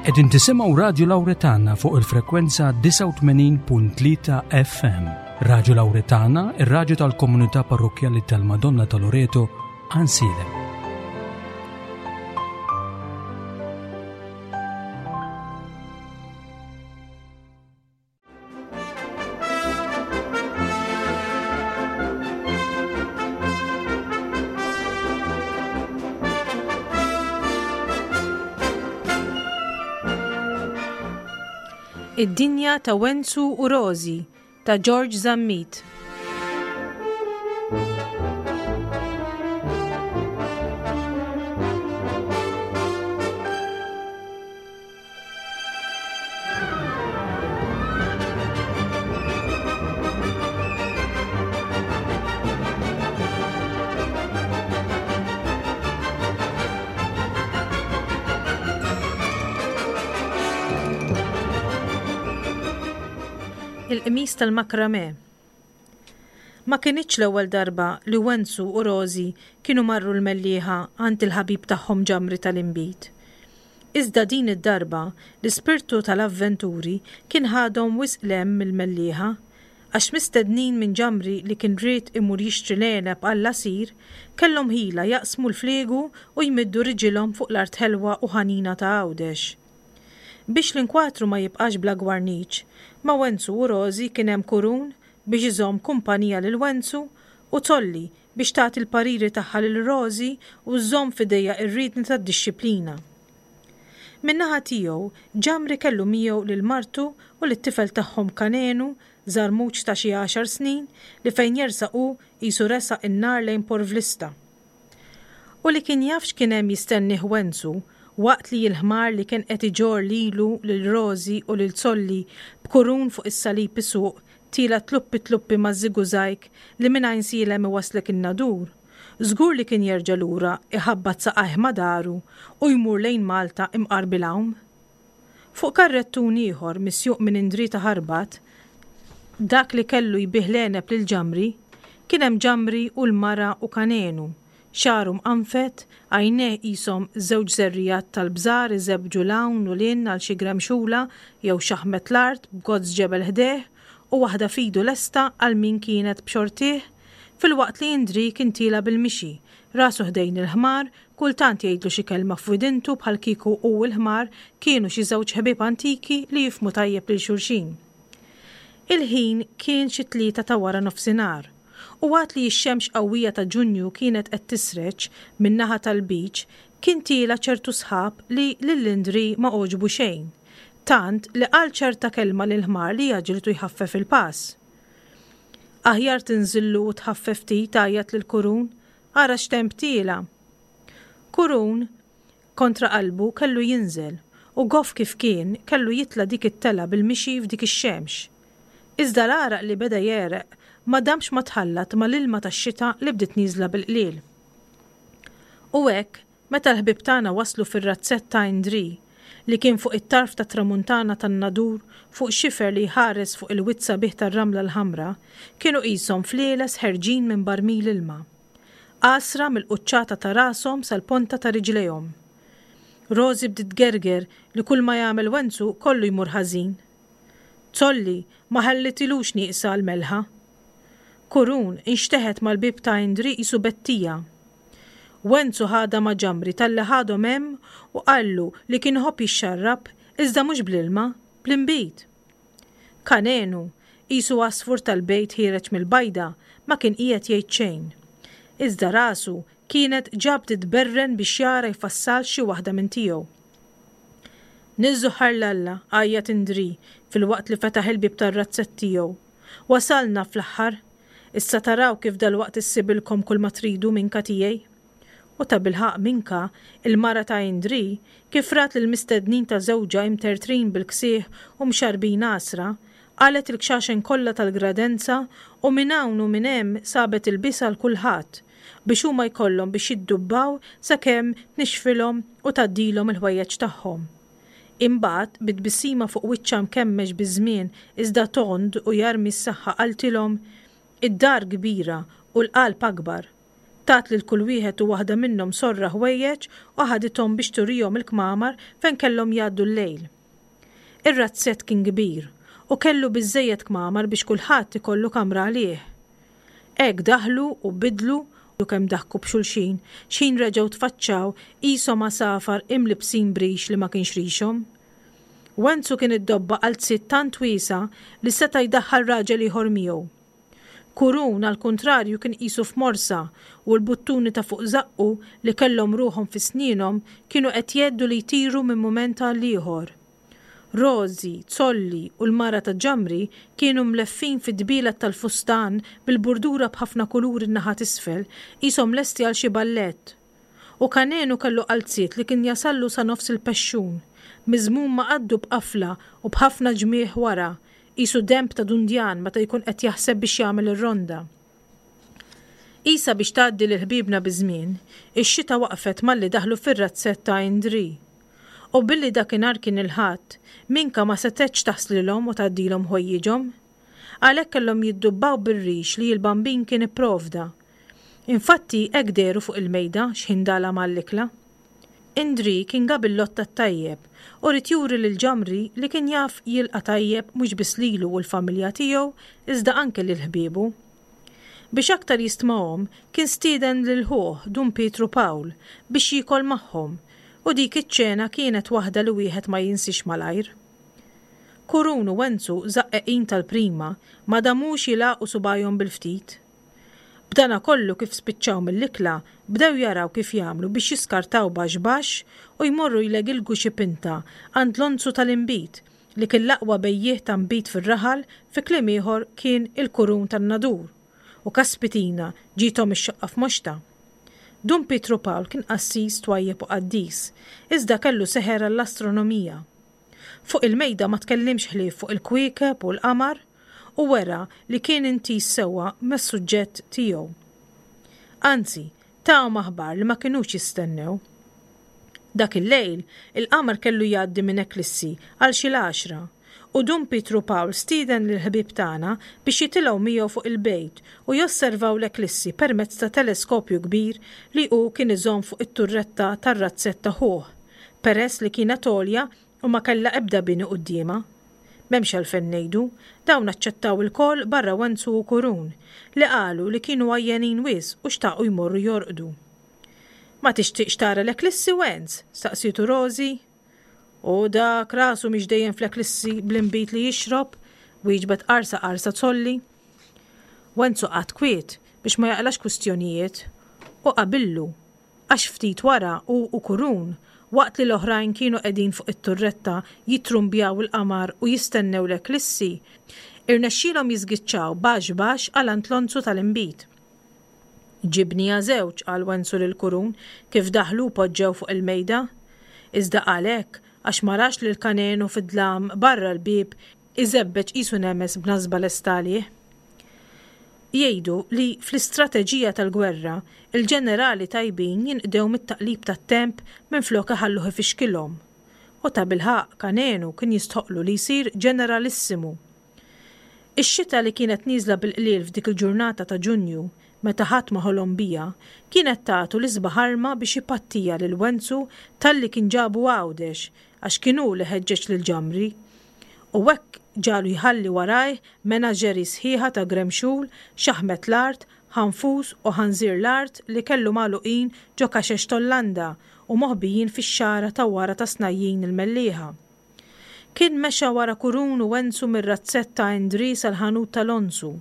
Qegħdin tisimgħu Radju Lawretana fuq il-frekwenza 89.3 FM. Radju Lawretana, ir-radju tal-komunità parrokkjali tal-Madonna ta' Loreto, Ansilem. Id-dinja ta' Wenzu u Rożi ta' George Zammit. Il-qmis tal-makrame. Ma kinitx l-ewwel darba li Wenzu u Rożi kienu marru l-Mellieħa għand il-ħabib tagħhom Ġamri tal-Inbid. Iżda din id-darba, l-ispirtu tal-avventuri kien ħadhom wisq 'l hemm mill-Mellieħa, għax mistednin minn Ġamri li kien ried imur jixtri l-għeneb għall-għasir, kellhom ħila jaqsmu l-fliegu u jmiddu riġilhom fuq l-art ħelwa u ħanina ta' Għawdex. Biex l-inkwatru ma jibqax bla gwarniċ, ma' Wenzu u Rożi kien hemm Kurun biex iżomm kumpanija lil Wenzu u Tolli biex tagħti l-pariri tagħha lil Rożi u żżomm f'idejha r-riedni tad-dixxiplina. Min-naħa tiegħu, Ġamri kellu miegħu lil martu u lit-tifel tagħhom Kanenu, żarmuġ ta' xi għaxar snin, li fejn jersaq hu qisu resaq in-nar lejn porvlista. U li kien jaf x'kien hemm jistennih Wenzu, waqt li l-ħmar li kien qed iġorr lilu, lil Rożi u lil Zolli b'kurun fuq is-salib isuq Tiela' tluppi tluppi maż-żigużajg li minn Għajnsielem iwasslek in-Nadur, żgur li kien jerġa' lura iħabbat saqajh ma' daru u jmur lejn Malta imqar bil-għawm. Fuq karrettun ieħor misjuq minn Indri ta' Ħarbat, dak li kellu jbigħ l-għeneb lil Ġamri, kien hemm Ġamri u l-mara u Kanenu, Xagħru mqanfed, għajnejh qishom żewġ żerrigħat tal-bżar iżebbġu 'l hawn u 'l hinn għal xi gremxula jew xaħmet l-art b'gozz ġebel ħdejh u waħda f'idu lesta għal min kienet b'xortih, filwaqt li Indrì kien tiela' bil-mixi, rasu ħdejn il-ħmar, kultant jgħidlu xi kelma f'widintu bħal kieku hu u l-ħmar kienu xi żewġ ħbieb antiki li jifhmu tajjeb lil xulxin. Il-ħin kien xi t-tlieta ta' wara nofsinhar, u għad li x-xemx qawwija ta' Ġunju kienet qed tisreġ min-naħa tal-Lbiċ, kien tiela' ċertu sħab li lil Indri ma għoġbu xejn, tant li qal ċerta kelma lill-ħmar li għaġġlitu jħaffef il-pass. Aħjar tinżillu u tħaffef ftit għajjat lil Kurun, ara x'temp tiela'! Kurun, Kontra qalbu kellu jinżel, u goff kif kien, kellu jitla' dik it-telgħa bil-mixi f'dik ix-xemx. Iżda l-għaraq li beda jegħreq ma damx ma tħallat ma' l-ilma tax-xita li bdiet nieżla bil-qliel. U hekk, meta l-ħbieb tagħna waslu fir-razzett ta' Indrì, li kien fuq it-tarf tat-tramuntana tan-Nadur fuq xifer li jħares fuq il-wied sabiħ tar-Ramla l-Ħamra, kienu qishom flieles ħerġin minn barmil ilma. Għasra mill-quċċata ta' rashom sal-ponta ta' riġlejhom. Rożi bdiet tgerger li kull ma jagħmel Wenzu kollu jmur ħażin. Zolli ma ħallitilux nieqsa l-melħa. Kurun inxteħet mal-bieb ta' Indri qisu bettija. Wenzu ħadha ma' Ġamri talli ħadhom hemm u qallu li kien iħobb jixxarrab iżda mhux bl-ilma, bl-inbid. Kanenu, qisu għasfur tal-bejt ħiereġ mill-bajda, ma kien qiegħed jgħid xejn. Iżda rasu kienet ġa bdiet tberren biex jara jfassalx xi waħda minn tiegħu. Niżżu ħar 'l Alla, għajjat Indrì filwaqt li fetaħ il-bieb tar-razzett tiegħu. Wasalna fl-aħħar! Issa taraw kif dalwaqt issibilkom kulma tridu minka tiegħi. U tabilħaqq Minka, il-mara ta' Indrì, kif rat lill-mistednin ta' żewġha imtertrin bil-ksieħ u mxarrbin għasra, qalgħet il-kxaxen kollha tal-gradenza u minn hawn u minn hemm sabet ilbies għal kulħadd, biex huma jkollhom biex jiddubbaw sakemm tnixxfilhom u tgħaddilhom il-ħwejjeġ tagħhom. Imbagħad, bi tbissima fuq wiċċha mkemmex biż-żmien iżda tond u jarmi s-saħħa qaltilhom, Id-dar kbira u l-qalb akbar. Tat lil kull wieħed u waħda minnhom sorra ħwejjeġ u ħadithom biex turihom il-kmamar fejn kellhom jgħaddu l-lejl. Ir-razzett kien kbir u kellu biżżejjed kmamar biex kulħadd ikollu kamra għalih. Hekk daħlu u bidlu u kemm daħku b'xulxin x'ħin reġgħu tfaċċaw qishom għasafar imlibbsin b'rix li ma kienx rixhom. Wenzu kien iddobba qalziet tant wiesgħa li seta' jdaħħal raġel ieħor miegħu. Kurun, għall-kuntrarju, kien qisu f'morsa u l-buttuni ta' fuq żaqqu li kellhom ruħhom fi snienhom kienu qed jgħeddu li jtiru minn mument għal ieħor. Rożi, Zolli u l-mara ta' Ġamri kienu mleffin fid-dbielet tal-fustan bil-burdura b'ħafna kuluri n-naħa t'isfel, qishom lesti għal xi ballett. U Kanenu kellu qalziet li kien jasallu sa nofs il-pexxun, miżmum ma' qaddu b'qafla u b'ħafna ġmiegħ wara, qisu denb ta' dundjan meta jkun qed jaħseb biex jagħmel ir-ronda. Qisha biex tgħaddi lil ħbiebna biż-żmien, ix-xita waqfet malli daħlu fir-razzett ta' Indri. U billi dakinhar kien il-Ħadd, Minka ma setgħetx taħslilhom u tgħaddilhom ħwejjiġhom. Għalhekk kellhom jiddubbaw bir-rix li l-Bambin kien ipprovda. Infatti hekk dehru fuq il-mejda x'ħin dalam għall-ikla. Indri kien gabillotta t-tajjeb u ried juri lil Ġamri li kien jaf jilqa' tajjeb mhux biss lilu u l-familja tiegħu iżda anke lil ħbiebu. Biex aktar jistmahom kien stieden lil ħuh Dun Pietru Pawl biex jiekol magħhom u dik iċ-ċena kienet waħda li wieħed ma jinsiex malajr. Kurun u Wenzu żaqqeqin tal-prima ma damux jilagħqu subgħajhom bil-ftit. B'danakollu kif spiċċaw mill-ikla bdew jaraw kif jagħmlu biex jiskartaw baxx baxx u jmorru jlegilgu xi pinta għand Lonzu tal-inbid li kien l-aqwa bejjiegħ ta' nbid fir-raħal fi kliem ieħor kien il-kurun tan-Nadur u kaspitina ġiethom ix-xoqqa f'moxtha. Dun Pietru Pawl kien qassis twajjeb u qaddis iżda kellu seħer għall-astronomija. Fuq il-mejda ma tkellimx ħlief fuq il-kwiekeb u l-qamar u wera li kien intiż sewwa mas-suġġett tiegħu. Anzi, tahom aħbar li ma kinux jistennew. Dak il-lejl, il-qamar kellu jgħaddi minn eklissi għal xi l-għaxra, u Dun Pietru Pawl stieden lill-ħbieb tagħna biex jitilgħu miegħu fuq il-bejt u josservaw l-eklissi permezz ta' teleskopju kbir li hu kien iżomm fuq it-turretta tar-razzett ta' ħuh, peress li kienet għolja u ma kellha ebda bini quddiemha. M'hemmx għalfejn ngħidu, dawn aċċettaw ilkoll barra Wenzu u Kurun, li qalu li kienu għajjenin wisq u xtaqu jmorru jorqdu. Ma tixtieqx tara l-eklissi, Wenz? staqsietu Rożi. U dak rasu mhix dejjem fl-eklissi bl-inbid li jixrob, wieġbet qarsa qarsa Zolli. Wenzu qagħad kwiet biex ma jaqlax kwistjonijiet u qabillu Għax ftit wara hu u Kurun, waqt li l-oħrajn kienu qegħdin fuq it-turretta jittrumbjaw il-qamar u jistennew l-eklissi, irnexxielhom jiżgiċċaw baxx baxx għal għand Lonzu tal-inbid. Ġibniha żewġ, qal Wenzu lil Kurun kif daħlu u poġġew fuq il-mejda. Iżda qal hekk għax ma rax lil Kanenu fid-dlam barra l-bieb iżebbeġ qisu nemes b'nasba lesta għalih. Jgħidu li fl-istrateġija tal-gwerra, il-ġenerali tajbin jinqdew mit-taqlib tat-temp minflok iħalluh ifixkilhom. U tabilħaqq Kanenu kien jistħoqqlu li jsir ġeneralissimu. Ix-xita li kienet nieżla bil-qliel f'dik il-ġurnata ta' Ġunju, meta ħadd ma ħolom biha, kienet tatu l-isbaħ arma biex ipattiha lil Wenzu talli kien ġabu Għawdex għax kien hu li ħeġġeġ lil Ġamri U hekk ġagħlu jħalli warajh menaġeri sħiħa ta' gremxul, xaħmet l-art, ħanfus u ħanżir l-art li kellu magħluqin ġo kaxex t'Ollanda u moħbijin fix-xagħra ta' wara ta' Snajjin il-Mellieħa. Kien mexa wara Kurun u Wenzu mir-razzett ta' Indri sal-ħanut ta' Lonzu.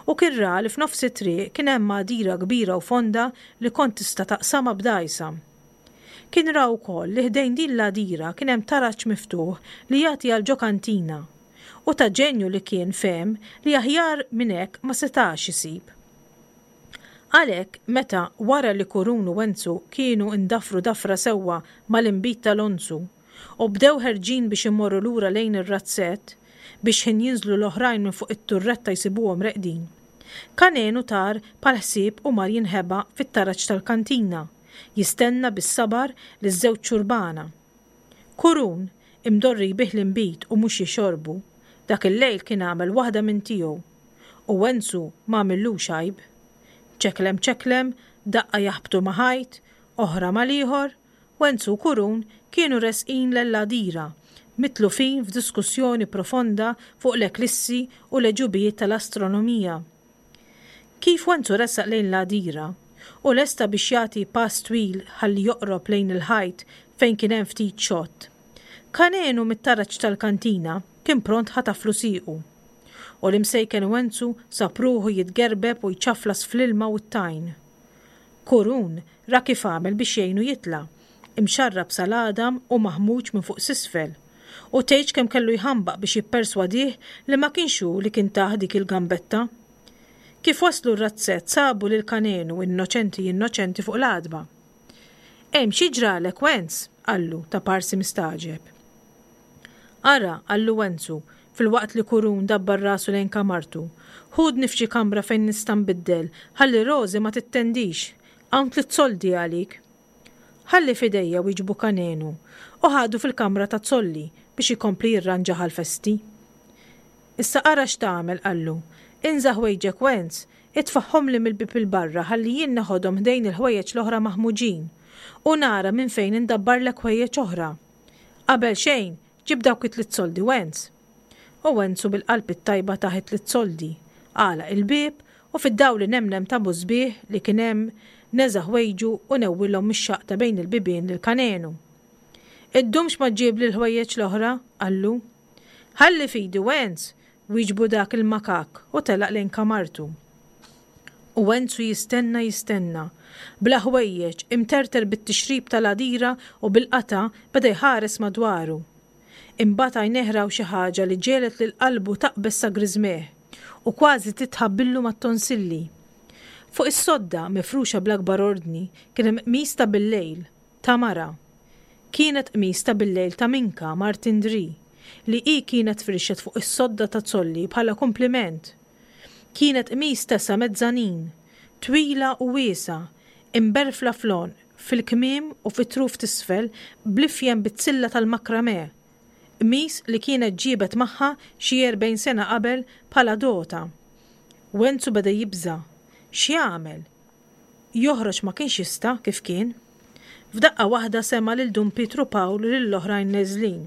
U kien ra li f'nofs it-triq kien hemm għadira kbira u fonda li kont tista' taqsamha b'dgħajsa. Kien ra wkoll li ħdejn din l-għadira kien hemm taraġ miftuħ li jagħti għal ġo kantina. U ta' ġenju li kien fehem li aħjar minn hekk ma setax isib. Għalhekk, meta, wara li Kurun u Wenzu kienu ndafru dafra sewwa mal-inbid ta' Lonzu, u bdew ħerġin biex imorru lura lejn ir-razzett, biex x'ħin jinżlu l-oħrajn minn fuq it-turretta jsibuhom reqdin, Kanenu tar bħal ħsieb u mar jinħeba fit-taraġ tal-kantina, jistenna bis-sabar liż-żewġ xurbana. Kurun, imdorri jbigħ l-inbid u mhux jixorbu, dak il-lejl kien għamel waħda minn tiegħu. U Wenzu ma għamillux għajb. Ċeklem ċeklem, Daqqa jaħbtu ma' ħajt, oħra mal-ieħor, Wenzu u Kurun kienu resqin lejn l-għadira, mitlufin f'diskussjoni profonda fuq l-eklissi u l-għeġubijiet tal-astronomija. Kif Wenzu resaq lejn l-għadira, u lesta biex jagħti pass twil ħalli joqrob lejn il-ħajt fejn kien hemm ftit xott, Kanenu mit-taraġ tal-kantina kien pront ħataflu siequ. U l-imsejken Wenzu sab ruħu jitgerbeb u jċaflas fl-ilma u t-tajn. Kurun ra kif għamel biex jgħinu jitla', imxarrab sal-għadam u maħmuġ minn fuq s'isfel. U tgħidx kemm kellu jħambaq biex jipperswadih li ma kienx hu li kien tah dik il-gambetta. Kif waslu r-razzett sabu lil Kanenu innoċenti innoċenti fuq l-għatba. Hemm xi ġralek Wenz? qallu ta' parsi mistagħġeb. Ara, qallu Wenzu, filwaqt li Kurun dabbar rasu lejn kamartu, ħudni f'xi kamra fejn nista' nbiddel ħalli Rożi ma tittendix. Hawn tlitt soldi għalik. Ħalli f'idejja wieġbu Kanenu u ħadu fil-kamra ta' Zolli biex ikompli jirranġaha għall-festi. Issa ara x'tagħmel, qallu. Inża' ħwejġek Wenz, itfagħhomli mill-bieb 'il barra ħalli jien neħodhom ħdejn il-ħwejjeġ l-oħra maħmuġin, u nara minn fejn indabbarlek ħwejjeġ oħra. Qabel xejn, ġib dawk it-tliet soldi Wenz. U Wenzu bil-qalb it-tajba tah it-tliet soldi, għalaq il-bieb u fid-dawl inemnem ta' bużbieħ li kien hemm neża' ħwejġu u newwilhom mix-xaqq ta' bejn il-bibien lil Kanenu. Iddumx ma ġġibli l-ħwejjeġ l-oħra, qallu. Ħalli f'idi Wenz! wieġbu dak il-makakk u telaq lejn kamartu. U Wenzu jistenna jistenna. Bla ħwejjeġ, imterter bit-tixrib tal-għadira u bil-qatgħa beda jħares madwaru. Imbagħad għajnejh raw xi ħaġa li ġegħlet lil qalbu taqbeż sa griżmejh u kważi titħabbillu mat-tonsilli. Fuq is-sodda, mifruxa bl-akbar ordni, kien hemm qmis ta' billejl, ta' mara. Kienet qmis ta' billejl ta' Minka, mart Indrì, li hi kienet firxet fuq is-sodda ta' Zolli bħala kumpliment. Kienet qmis tesa' mezzanin, twila u wiesgħa, imberfla fl-għonq, fil-kmiem u fit-truf t'isfel bl-ifjen bizzilla tal-makramè, qmis li kienet ġiebet magħha xi 40 sena qabel bħala dota. Wenzu beda jibża'. X'jagħmel? Joħroġ ma kienx jista' kif kien. F'daqqa waħda sema' lil Dun Pietru Pawl u lill-oħrajn neżlin.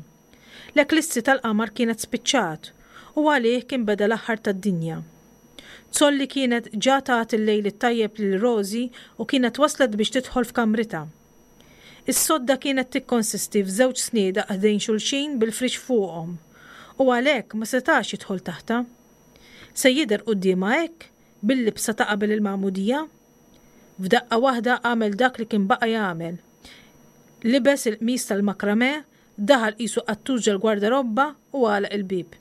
L-eklissi tal-qamar kienet spiċċat u għalih kien beda l-aħħar tad-dinja. Zolli kienet ġa tat il-lejl it-tajjeb lil Rosie u kienet waslet biex tidħol f'kamritha. Is-sodda kienet tikkonsisti f'żewġ sniedaq ħdejn xulxin bil-friex fuqhom u għalhekk ma setax jidħol taħtha. Se jidher quddiemha hekk bil-libsa ta' qabel il-magħmudija? F'daqqa waħda għamel dak li kien baqa' jagħmel. Libes il-qmis tal-makramè, daħal qisu qattus ġol-gwardarobba u għalaq il-bieb.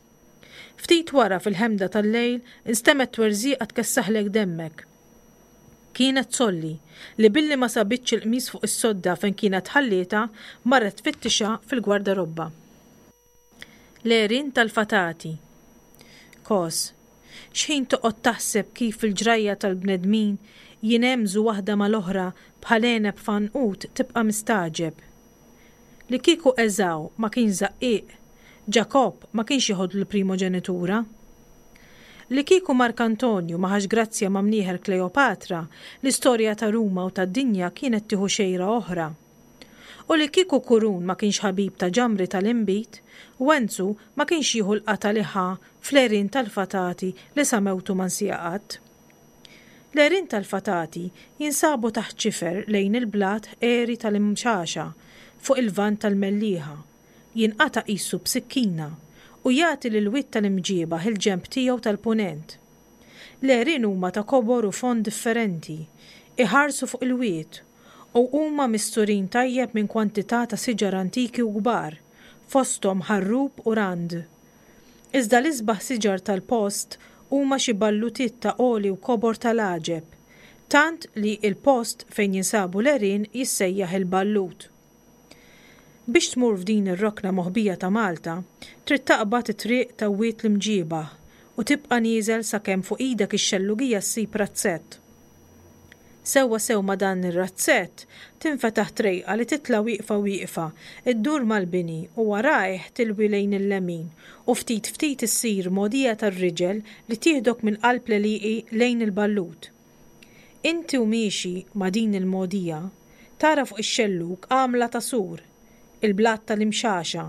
Ftit wara fil-ħemda tal-lejl instemgħet twerżieqa tkessaħlek demmek. Kienet Solli, li billi ma sabitx il-qmis fuq is-sodda fejn kienet ħallietha, marret tfittixha fil-gwardarobba. L-għerien tal-fatati. Kos. X'ħin toqgħod taħseb kif il-ġrajja tal-bnedmin jinhemżu waħda mal-oħra bħal għeneb f'għanqud tibqa' mistagħġeb. Li kieku Eżaw ma kienx żaqqieq, Ġakobb ma kienx jeħodlu l-primoġenitura. Li kieku Mark Antonju ma ħax grazzja ma' mnieħer Kleopatra, l-istorja ta' Ruma u tad-dinja kienet tieħu xejra oħra. U li kieku Kurun ma kienx ħabib ta' ġamri tal-inbid, Wenzu ma kienx jieħu l-qatgħa li ħa fl-għerien tal-fatati li sa mewtu ma nsieha qatt. L-għerien tal-fatati jinsabu taħt xifer lejn il-blat għeri tal-Imxaxa fuq il-Lvant tal-Mellieħa, jinqata' qisu b'sikkina u jagħti lill-Wied tal-Imġiebaħ il-ġenb tiegħu tal-Punent. L-għerien huma ta' kobor u fond differenti, iħarsu fuq il-wied u huma misturin tajjeb minn kwantità ta' siġar antiki u kbar, fosthom ħarrub u rand. Iżda l-isbaħ siġar tal-post huma xi ballutiet ta' għoli u kobor tal-għaġeb, tant li l-post fejn jinsabu l-għerien jissejjaħ il-Ballut. Biex tmur f'din ir-rokna moħbija ta' Malta, trid taqbad it-triq ta' Wied l-Imġiebaħ u tibqa' nieżel sakemm fuq idek ix-xellugija ssib razzett. Sewwa sew ma' dan ir-razzett tinfetaħ trejqa li titla' wieqfa wieqfa, iddur mal-bini u warajh tilwi lejn il-lemin u ftit ftit issir mogħdija tar-riġel li tieħdok minn qalb l-għelieqi lejn il-ballut. Inti u miexi ma' din il-mogħdija, tara fuq ix-xellug għamla ta' sur, il-blat tal-Imxaxa,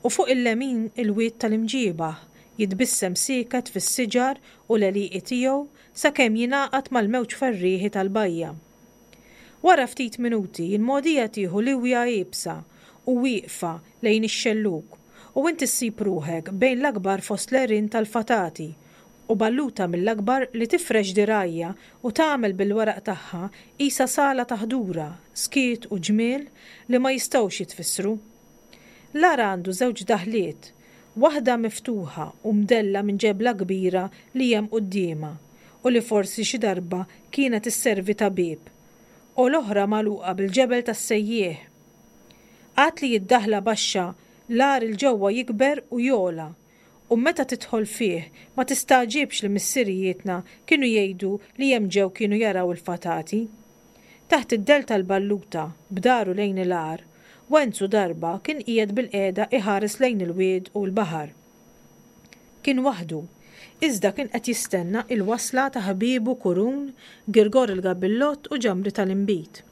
u fuq il-lemin il-wied tal-Imġiebaħ jitbissem sieket fis-siġar u l-għelieqi tiegħu sakemm jingħaqad mal-mewġ ferrieħi tal-bajja. Wara ftit minuti l-mogħdija tieħu liwja iebsa u wieqfa lejn ix-xellug u inti ssib ruħek bejn l-akbar fost l-għerien tal-fatati u balluta mill-akbar li tifrex dirgħajha u tagħmel bil-weraq tagħha qisha sala ta' ħdura, skiet u ġmiel li ma jistgħux jitfissru. L-għar għandu żewġ daħliet, waħda miftuħa u mdella minn ġebla kbira li hemm quddiemha u li forsi xi darba kienet isservi ta' bieb, u l-oħra magħluqa bil-ġebel tas-sejjieħ. Għad li d-daħla baxxa, l-għar 'il ġewwa jikber u jogħla, u meta tidħol fih ma tistagħġibx li missirijietna kienu jgħidu li hemm ġew kienu jaraw il-fatati. Taħt id-dell tal-balluta, b'daru lejn il-għar, Wenzu darba kien qiegħed bilqiegħda iħares lejn il-wied u l-baħar. Kien waħdu, iżda kien qed jistenna il-wasla ta' ħbiebu Kurun, Girgor il-Gabillott u Ġamri tal-Inbid.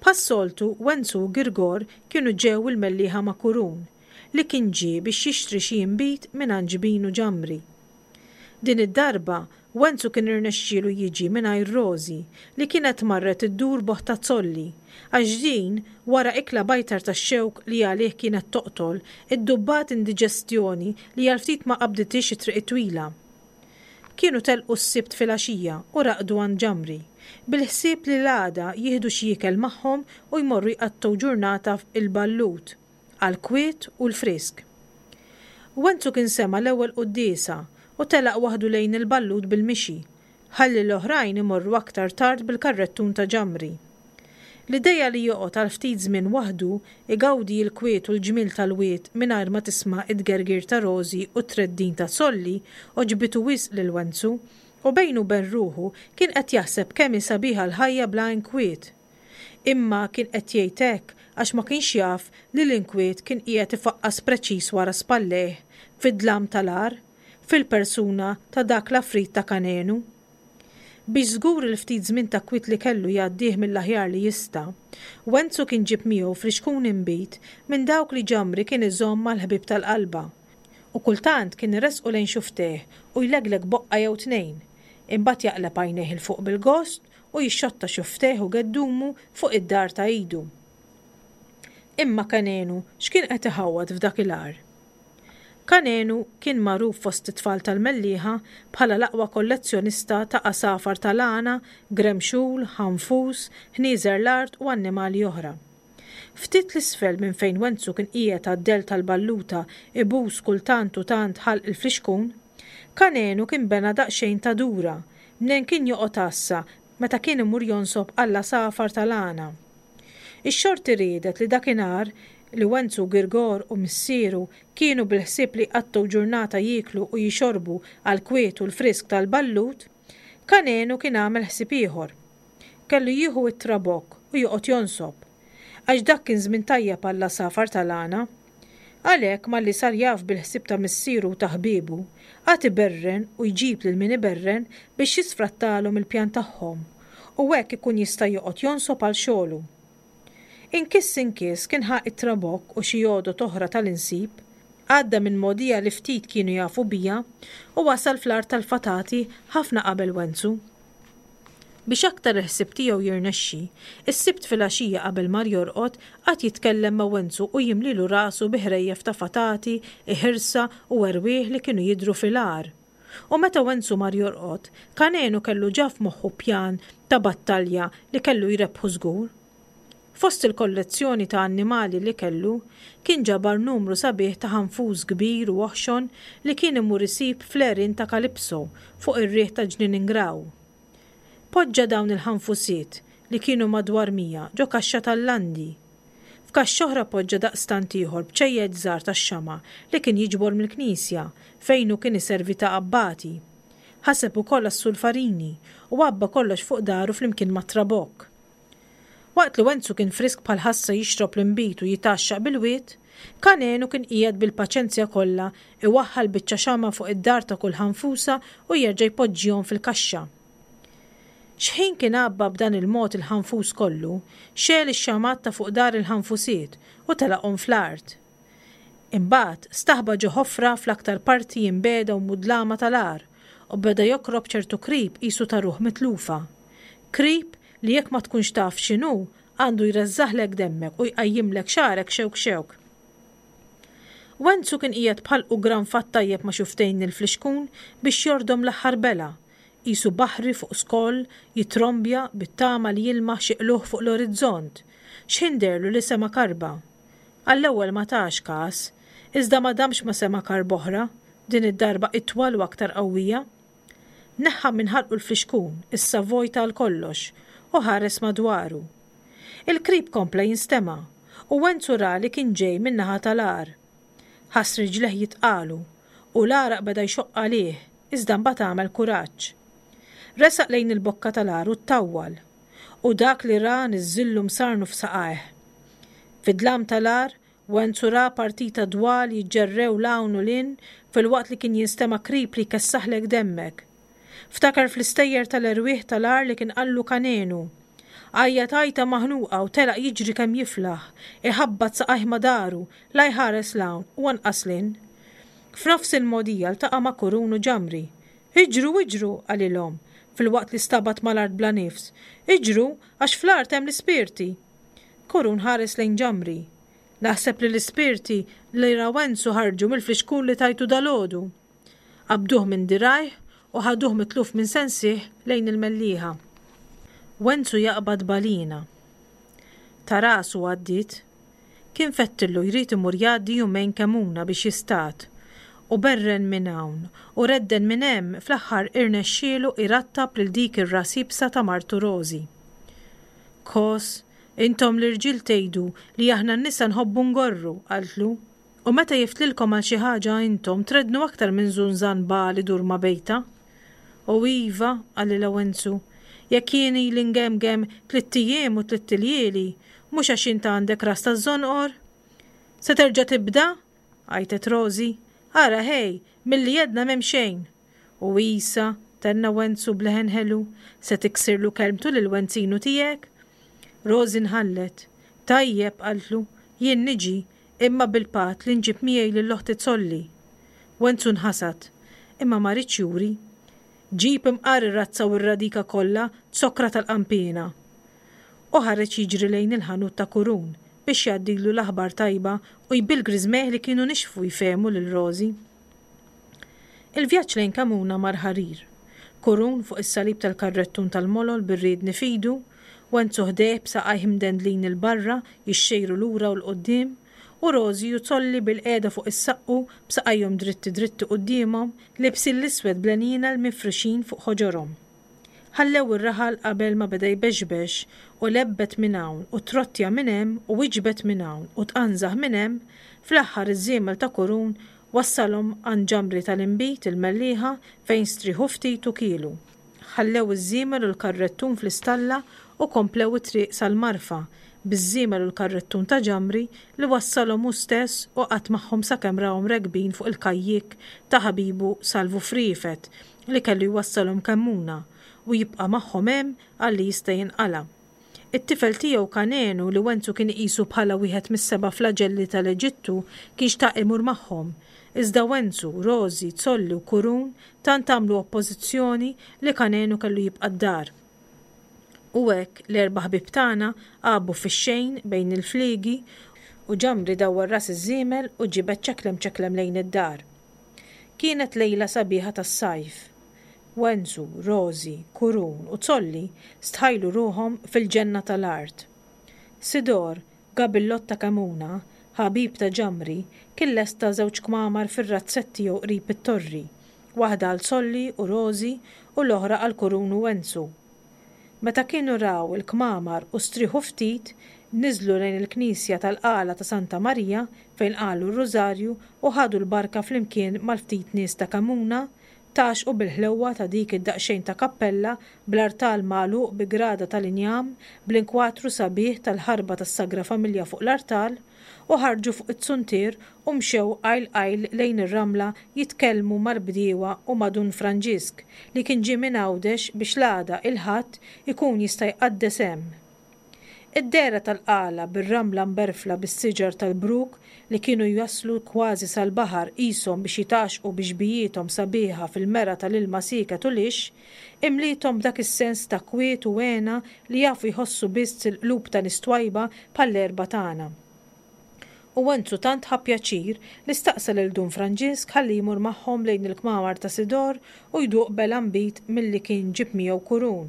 Bħas-soltu, Wenzu u Girgor kienu ġew il-Mellieħa ma' Kurun, li kien ġie biex jixtri xi inbid mingħand Ġbin u Ġamri. Din id-darba, Wenzu kien irnexxielu jiġi mingħajr Rożi, li kienet marret iddur b'oħtha Zolli, għax din, wara ikla bajtar tax-xewk li għalih kienet toqtol, iddubbat indiġestjoni li għal ftit ma qabdithiex it-triq it-twila. Kienu telqu s-Sibt filgħaxija u raqdu għand Ġamri, bil-ħsieb li l-għada jieħdu xi ikel magħhom u jmorru jqattgħu ġurnata f'Il-Ballut, għall-kwiet u l-frisk. Wenzu kien sema' l-ewwel quddiesa u telaq waħdu lejn il-ballut bil-mixi, ħalli l-oħrajn imorru aktar tard bil-karrettun ta' Ġamri. L-ideja li joqgħod għal ftit żmien waħdu igawdi l-kwiet u l-ġmiel tal-wied mingħajr ma tisma' t-tgergir ta' Rożi u t-treddin ta' Solli għoġbitu wisq lil Wenzu u bejnu u ben ruħu kien qed jaħseb kemm hi sabiħa l-ħajja bla inkwiet. Imma kien qed jgħid hekk għax ma kienx jaf li l-inkwiet kien qiegħed ifaqqas preċiż wara spallejh fid-dlam tal-għar, fil-persuna ta' dak l-għafrid ta' Kanenu. Biex żgur il-ftit żmien ta' kwiet li kellu jgħaddih mill-aħjar li jista', Wenzu kien ġieb miegħu frixkun inbid minn dawk li Ġamri kien iżomm għall-ħbieb tal-qalba, u kultant kien iressqu lejn xufftejh u jlegleg boqqa jew tnejn, imbagħad jaqleb għajnejh 'il fuq bil-gost u jixxotta xufftejh u geddumu fuq id-dar ta' idu. Imma Kanenu x'kien qed iħawwad f'dak il-għar? Kanenu kien magħruf fost it-tfal tal-Mellieħa bħala l-aqwa kollezzjonista ta' għasafar tal-għana, gremxul, ħanfus, ħnieżer l-art u annimali oħra. Ftit 'l isfel minn fejn Wenzu kien qiegħed għad-dell tal-balluta ibus kultant u tant ħalq il-flixkun, Kanenu kien bena daqsxejn ta' dura mnejn kien joqgħod għassa meta kien imur jonsob għall-għasafar tal-għana. Ix-xorti riedet li dakinhar li Wenzu Girgor u missieru kienu bil-ħsieb li jqattgħu ġurnata jieklu u jixorbu għall-kwiet u l-frisk tal-ballut, Kanenu kien għamel ħsieb ieħor. Kellu jieħu t-trabokk u joqgħod jonsob. Għax dak kien żmien tajjeb għall-għasafar tal-għana. Għalhekk malli sar jaf bil-ħsieb ta' missieru u ta' ħbiebu, qagħad iberren u jġib lil min iberren biex jisfrattalhom il-pjan tagħhom, u hekk ikun jista' joqgħod jonsob għal xogħlu. Inkiss inkiss kien ħa t-trabokk u xi għodod oħra tal-insib, għadda minn mogħdija li ftit kienu jafu biha u wasal fl-art tal-fatati ħafna qabel Wenzu. Biex aktar il-ħsieb tiegħu jirnexxi, is-Sibt filgħaxija qabel mar jorqod qagħad jitkellem ma' Wenzu u jimlilu rasu bi ħrejjef ta' fatati, iħirsa u erwieħ li kienu jidhru fil-għar. U meta Wenzu mar jorqod, Kanenu kellu ġa f'moħħu pjan ta' battalja li kellu jrebbħu żgur. Fost il-kollezzjoni ta' annimali li kellu, kien ġabar numru sabiħ ta' ħanfus kbir u oħxon li kien imur isib fl-għerien ta' Calypso fuq ir-riħ ta' Ġnien Ingraw. Poġġa dawn il-ħanfusiet, li kienu madwar 100, ġo kaxxa tal-landi. F'kaxxa oħra poġġa daqstant ieħor bċejjeċ żgħar tax-xama' li kien jiġbor mill-knisja, fejn hu kien iservi ta' abbati. Ħaseb ukoll għas-sulfarini u għabba kollox fuq daru flimkien mat-trabokk. Waqt li Wenzu kien frisk bħal ħassa jixrob l-inbid u jitgħaxxaq bil-wied, Kanenu kien qiegħed bil-paċenzja kollha iwaħħal biċċa xama' fuq id-dar ta' kull ħanfusa u jerġa' jpoġġihom fil-kaxxa. Xħin kien għabba b'dan il-mod il-ħanfus kollu, xegħel ix-xamgħat ta' fuq dar il-ħanfusiet u telaqhom fl-art. Imbagħad staħba ġo ħofra fl-aktar parti imbiegħda u mudlama tal-għar u beda jokrob ċertu krib qisu ta' ruħ mitlufa. Krib li jekk ma tkunx taf x'inhu, għandu jreżżaħlek demmek u jqajjimlek xagħrek xewk xewk. Wenzu kien qiegħed b'ħalqu ggranfat tajjeb ma' xufftejn il-flixkun biex jordom l-aħħar belgħa, qisu baħri fuq skoll jittrombja bit-tama li jilmaħ xi qlugħ fuq l-orizzont, x'ħin dehrlu li sema' karba. Għall-ewwel ma tax kas, iżda ma damx ma sema' karba oħra, din id-darba itwal u aktar qawwija. Neħħa minn ħalqu l-flixkun, issa vojt għal kollox, u ħares madwaru. Il-krib kompla jinstema', u Wenzu ra li kien ġej min-naħa tal-għar. Ħass riġlejh jitqalu, u l-għaraq beda jxoqq għalih, iżda mbagħad għamel kuraġġ. Resaq lejn il-bokka tal-għar u ttawwal. U dak li ra niżżillu msarnu f'saqajh. Fid-dlam tal-għar, Wenzu ra partita dwal jiġġerrew 'l hawn u 'l hinn filwaqt li kien jinstema' krib li jkessaħlek demmek. Ftakar fl-istejjer tal-erwieħ tal-għar li kien qallu Kanenu. Għajjat għajta maħnuqa u telaq jiġri kemm jiflaħ, iħabbat saqajh ma' daru, la jħares 'l hawn u anqas 'l hinn. F'nofs il-mogħdija ltaqa' ma' Kurun u Ġamri. Iġru, iġru! qalilhom, filwaqt li stabat mal-art bla nifs. Iġru, għax fl-art hemm l-ispirti! Kurun ħares lejn Ġamri. Naħseb li l-ispirti li ra Wenzu ħarġu mill-flixkun li tajtu dalgħodu. Qabduh minn dirgħajh u ħaduh mitluf minn sensih lejn il-Mellieħa. Wenzu jaqbad balina. Ta' rasu għaddiet. Kien fettillu jrid imur jgħaddi jumejn Kemuna biex jistad. U berren minn hawn u redden minn hemm fl-aħħar irnexxielu jrattab lil dik ir-ras iebsa ta' martu Rożi. Kos, intom l-irġiel tgħidu li aħna n-nisa nħobbu ngorru, qaltlu. U meta jiftlilkom għal xi ħaġa intom treddnu aktar minn żunżan bagħal idur ma' bejta. U iva, qalilha Wenzu, jekk jien ili ngemgem tlitt ijiem u tlitt iljieli, mhux għax int għandek ras taż-żonqor? Se terġa' tibda? għajtet Rożi. Ara ħej, milli għedna m'hemm xejn. U isa, tenna Wenzu b'leħen ħelu, se tiksirlu kelmtu lil Wenzinu tiegħek? Rożi nħallet. Tajjeb, qaltlu, jien niġi, imma bil-patt li nġib miegħi lil oħti Zolli. Wenzu nħasad, imma ma riedx juri. Ġib imqar ir-razza u r-radika kollha, zokkra tal-qanpiena! U ħareġ jiġri lejn il-ħanut ta' Kurun biex jgħaddilu l-aħbar tajba u jbill griżmejh li kienu nixfu jfehmu lil Rożi. Il-vjaġġ lejn Kamuna mar ħarir. Kurun fuq is-salib tal-karrettun tal-molol bir-riedni f'idu, Wenzu ħdejh b'saqajh imdendlin 'il barra jixxejru lura u 'l quddiem, u Rożi u Zolli bilqiegħda fuq is-saqqu b'saqajhom dritti dritti quddiemhom, libsin l-iswed bl-għenienel mifruxin fuq ħoġorhom. Ħallew ir-raħal qabel ma beda jbexbex u lebbet minn hawn u trottja minn hemm u wiġbet minn hawn u tqanżaħ minn hemm, fl-aħħar iż-żiemel ta' Kurun wassalhom għand ġamri tal-inbid il-Mellieħa fejn strieħu ftit u kielu. Ħallew iż-żiemel u l-karrettun fl-istalla u komplew it-triq sal-Marfa biż-żiemel u l-karrettun ta' Ġamri li wassalhom hu stess u qagħad magħhom sakemm rahom rekbin fuq il-kajjikk ta' ħabibu Salvu Friefet li kellu jwassalhom Kemmuna u jibqa' magħhom hemm għal li jista' jinqala'. It-tifel tiegħu Kanenu li Wenzu kien iqisu bħala wieħed mis-seba' flaġelli tal-Eġittu kien xtaq imur magħhom, iżda Wenzu, Rożi, Zolli u Kurun tant għamlu oppożizzjoni li Kanenu kellu jibqa' d-dar. U hekk l-erba' ħbieb tagħna għabu fix-xejn bejn il-fliegi u Ġamri dawwar ras iż-żiemel u ġibed ċeklem ċeklem lejn id-dar. Kienet lejla sabiħa tas-sajf. Wenzu, Rożi, Kurun u Zolli stħajlu ruħhom fil-ġenna tal-art. Sidor, gabillott ta' Kemuna, ħabib ta' Ġamri, kien lesta żewġ kmamar fir-razzett tiegħu qrib it-torri, waħda għal Zolli u Rożi u l-oħra għal Kurun u Wenzu. Meta kienu raw il-kmamar u strieħu ftit, niżlu lejn il-knisja tal-Qala ta' Santa Marija fejn qalu r-Rużarju u ħadu l-barka flimkien mal-ftit nies ta' Kemuna. Tgħaxxqu bil-ħlewwa ta' dik id-daqsxejn ta' kappella bl-artal magħluq bi grada tal-injam bl-inkwatru sabiħ tal-ħarba tas-Sagra Familja fuq l-artal, u ħarġu fuq iz-zuntier u mxew qajl qajl lejn ir-ramla jitkellmu mal-bdiewa u ma' Dun Franġisk li kien ġie minn Għawdex biex l-għada, il-Ħadd, ikun jista' jqaddes hemm. Id-dehra tal-qala bir-ramla mberfla bis-siġar tal-bruk li kienu jaslu kważi sal-baħar qishom biex jitgħaxxqu bi xbijiethom sabiħa fil-mera tal-ilma sieket u lixx, imliethom b'dak is-sens ta' kwiet u hena li jafu jħossu biss il-qlub ta' nies twajba bħall-erba' tagħna. U Wenzu tant ħa pjaċir li staqsa lil Dun Franġisk ħalli jmur magħhom lejn il-kmamar ta' Sidor u jduq bela nbid milli kien ġieb miegħu Kurun.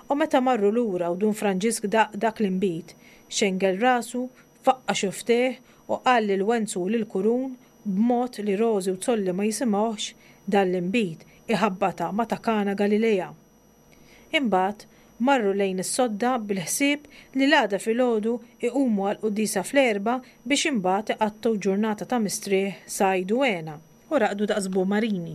U meta marru lura u Dun Franġisk daq dak l-inbid, xengel rasu, faqqa' xufftejh u qal lil Wenzu u lil Kurun, b'mod li Rożi u Zolli ma jisimgħuhx, Dan l-inbid iħabbatha ma' ta' Kana Galilea. Imbagħad marru lejn is-sodda bil-ħsieb li l-għada filgħodu iqumu għall-quddiesa fl-erbgħa biex imbagħad iqattgħu ġurnata ta' mistrieħ, sajd u hena, u raqdu daqs bumarini.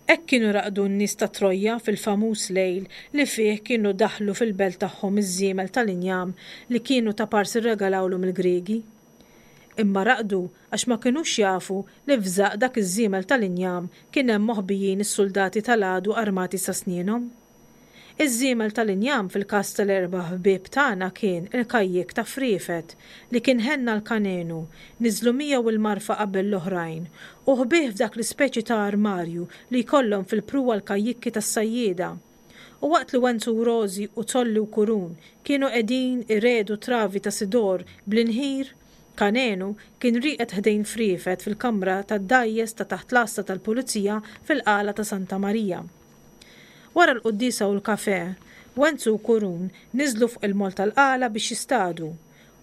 Hekk kienu raqdu n-nies ta' Trojja fil-famuż lejl li fih kienu daħlu fil-belt tagħhom iż-żiemel tal-injam li kienu taparsi rregalawlhom il-Griegi. Imma raqdu għax ma kinux jafu li f'żaqq dak iż-żiemel tal-injam kien hemm moħbijin is-suldati tal-għadu armati sa snienhom. Iż-żiemel tal-injam fil-każ tal-erba' ħbieb tagħna kien il-kajjik ta' Friefet li kien ħenna l-kanenu, niżlu miegħu l-marfa qabel l-oħrajn u ħbieh f'dak l-ispeċi ta' armarju li jkollhom fil-pruwa l-kajjikki tas-sajjieda. U waqt li Wenzu u Rożi u Zolli u Kurun kienu qegħdin iregħdu travi ta' sidor bl-inħir, Kanenu kien rieqed ħdejn Friefet fil-kamra tad-dgħajjes ta' taħt l-għassa tal-pulizija fil-Qala ta' Santa Marija. Wara l-quddiesa u l-kafè, Wenzu u Kurun niżlu fuq il-moll tal-Qala biex jistadu,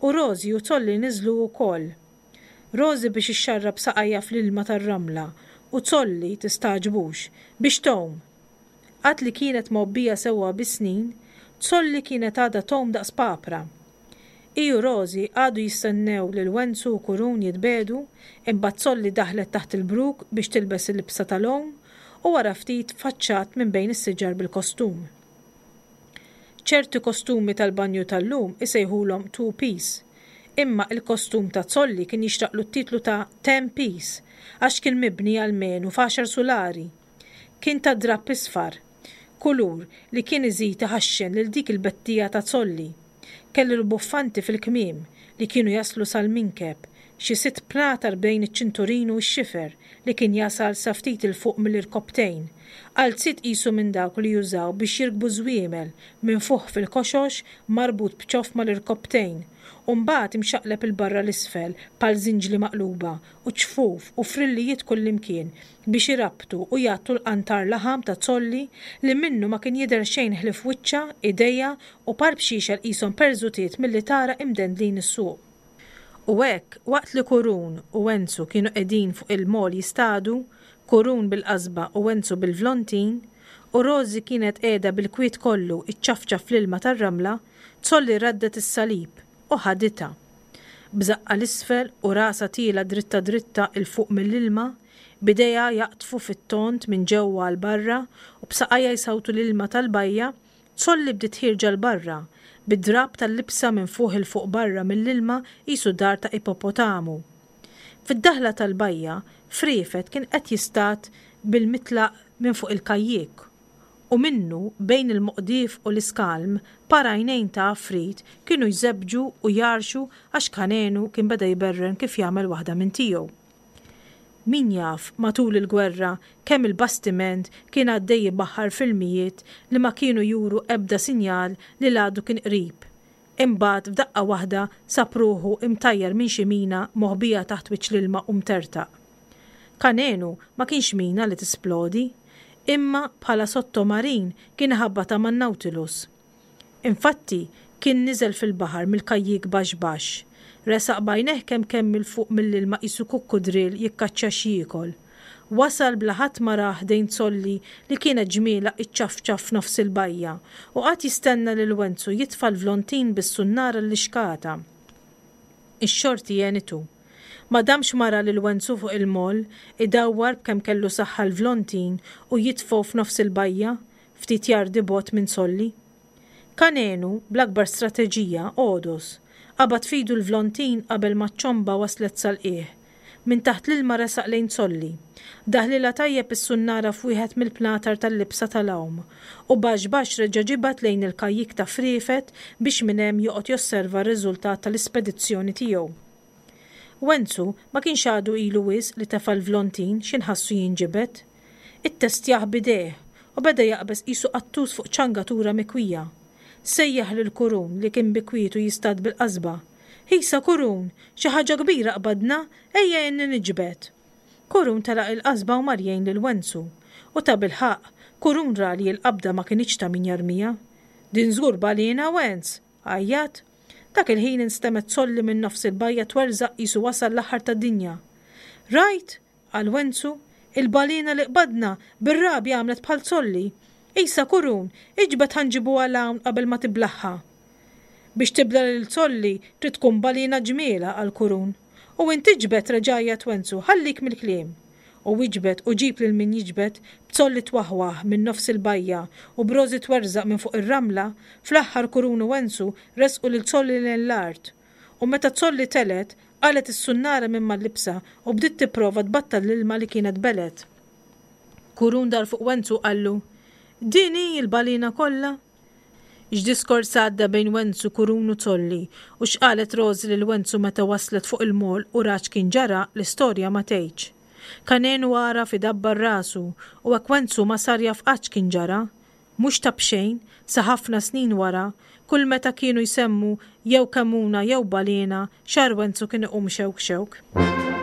u Rożi u Zolli niżlu wkoll. Rożi biex ixxarrab saqajha fl-ilma tar-ramla u Zolli, tistagħġbux, biex tgħum! Għad li kienet mgħobbija sewwa bis-snin, Zolli kienet għadha tgħum daqs papra. Hi u Rosie qagħdu jistennew lil Wenzu u Kurun jitbiegħdu, imbagħad Zolli daħlet taħt il-bruk biex tilbes il-libsa tal-għum u wara ftit tfaċċat minn bejn is-siġar bil-kostum. Ċerti kostumi tal-banju tal-lum isejħulhom two piece, imma il-kostum ta' Zolli kien jixraqlu t-titlu ta' ten piece għax kien mibni almenu f'għaxar sulari. Kien ta' drapp isfar, kulur li kien iżid iħaxxen lil dik il-bettija ta' Zolli. Kellu l-buffanti fil-kmiem li kienu jaslu sal-minkeb, xi sitt bnatar bejn iċ-ċinturin u x-xifer li kien jasal sa ftit 'il fuq mill-irkopptejn, qalziet qisu minn dawk li jużaw biex jirkbu ż-żwiemel, minfuħ fil-koxox marbut b'ċoff mal-irkopptejn, u mbagħad imxaqleb 'il barra 'l isfel bħal żinġli maqluba, u ċfuf u frillijiet kullimkien biex irabbtu u jgħattu l-qantar laħam ta' Zolli li minnu ma kien jidher xejn ħlief wiċċha, idejha u par bxiexel qishom perżutiet milli tara imdendlin is-suq. U hekk, waqt li Kurun u Wenzu kienu qegħdin fuq il-mol jistadu, Kurun bil-qasba u Wenzu bil-vlontin, u Rożi kienet qiegħda bil-kwiet kollu iċċafċaf fl-ilma tar-ramla, Zolli raddet is-salib u ħaditha. B'żaqqha 'l isfel u rasha tielgħa dritta dritta 'l fuq mill-ilma, b'idejha jaqdfu fit-tond minn ġewwa għal barra u b'saqajha jsawtu l-ilma tal-bajja, Zolli bdiet ħierġa 'l barra, bid-drapp tal-libsa minfuħ 'il fuq barra mill-ilma qisu dar ta' ipopotamu. Fid-daħla tal-bajja, Friefet kien qed jistad bil-mitlaq minn fuq il-kajjik u minnu, bejn il-moqdief u l-iskalm, par għajnejn ta' għafrit kienu jżebbġu u jgħarrxu għax Kanenu kien beda jberren kif jagħmel waħda minn tiegħu. Min jaf, matul il-gwerra, kemm il-bastiment kien għaddej ibaħħar f'ilmijiet li ma kienu juru ebda sinjal li l-għadu kien qrib. Imbagħad f'daqqa waħda sab ruħu imtajjar minn xi mina moħbija taħt wiċċ l-ilma u mtertaq. Kanenu ma kienx mina li tisplodi, imma bħala sottomarin kien iħabbatha man-Nautilus. Infatti, kien niżel fil-baħar mill-kajjik baxx baxx. Resaq b'għajnejh kemm kemm 'il fuq mill-ilma qisu kukkudrill jikkaċċja x'jiekol. Wasal bla ħadd ma rah ħdejn Zolli li kienet ġmielha iċċafċaf f'nofs il-bajja u qagħad jistenna lil Wenzu jitfa' l-vlontin bis-sunnara l-lixkata. Ix-xorti għenitu. Ma damx ma ra lil Wenzu fuq il-moll, idawwar b'kemm kellu saħħa l-vlontin u jitfgħu f'nofs il-bajja, ftit jardi bogħod minn Solli. Kanenu, bl-akbar strateġija, għodos. Qabad f'idu l-vlontin qabel ma ċ-ċomba waslet sal-qiegħ. Minn taħt l-ilma resaq lejn Solli. Daħlilha tajjeb is-sunnara f'wieħed mill-pnatar tal-libsa tal-għawm u baxx baxx reġa' ġibad lejn il-kajjik ta' Friefet biex minn hemm joqgħod josserva r-riżultat tal-ispedizzjoni tiegħu. Wenzu ma kienx għadu ilu wisq li tefa' l-vlontin x'inħassu jinġibed. Ittestjah b'idejh u beda jaqbeż qisu qattus fuq ċangatura mikwija. Sejjaħ lil Kurun li kien bi kwietu jistad bil-qasba. Ħisa Kurun, xi ħaġa kbira qbadna, ejja għinni niġbed. Kurun telaq il-qasba u mar jgħin lil Wenzu. U tabilħaqq, Kurun ra li l-qabda ma kinitx ta' min jarmiha. Din żgur baliena, Wenz! Għajjat. Dak il-ħin instemgħet solli minn nofs il-bajja twerżaq qisu wasal l-aħħar tad-dinja. Rajt? qal Wenzu. Il-baliena li qbadna, bir-rabja għamlet bħal solli. Isa, Kurun, iġbed ħa nġibuha 'l hawn qabel ma tiblagħha. Biex tibla' lil solli trid tkun baliena ġmielha, qal Kurun. U int iġbed, reġa' għajjat Wenzu, ħallik mill-kliem. U iġbed u ġib lil min jiġbed, b'zolli twaħwaħ minn nofs il-bajja u b'rożi twerżaq minn fuq ir-ramla, fl-aħħar Kurun u Wenzu resqu lil Zolli lejn l-art. U meta Zolli telgħet, qalgħet is-sunnara minn mal-libsa u bdiet tipprova tbattal l-ilma li kienet belgħet. Kurun dar fuq Wenzu u qallu, Din hi l-baliena kollha? X'diskors għadda bejn Wenzu, Kurun u Zolli, u x'qalet Rożi lil Wenzu meta waslet fuq il-moll u rat x'kien ġara, l-istorja ma tgħidx. Kanenu għaraf idabbar rasu u hekk Wenzu ma sar jaf qatt x'kien ġara. Mhux ta' b'xejn, sa ħafna snin wara, kull meta kienu jsemmu jew kemuna jew baliena, xagħar Wenzu kien iqum xewk xewk.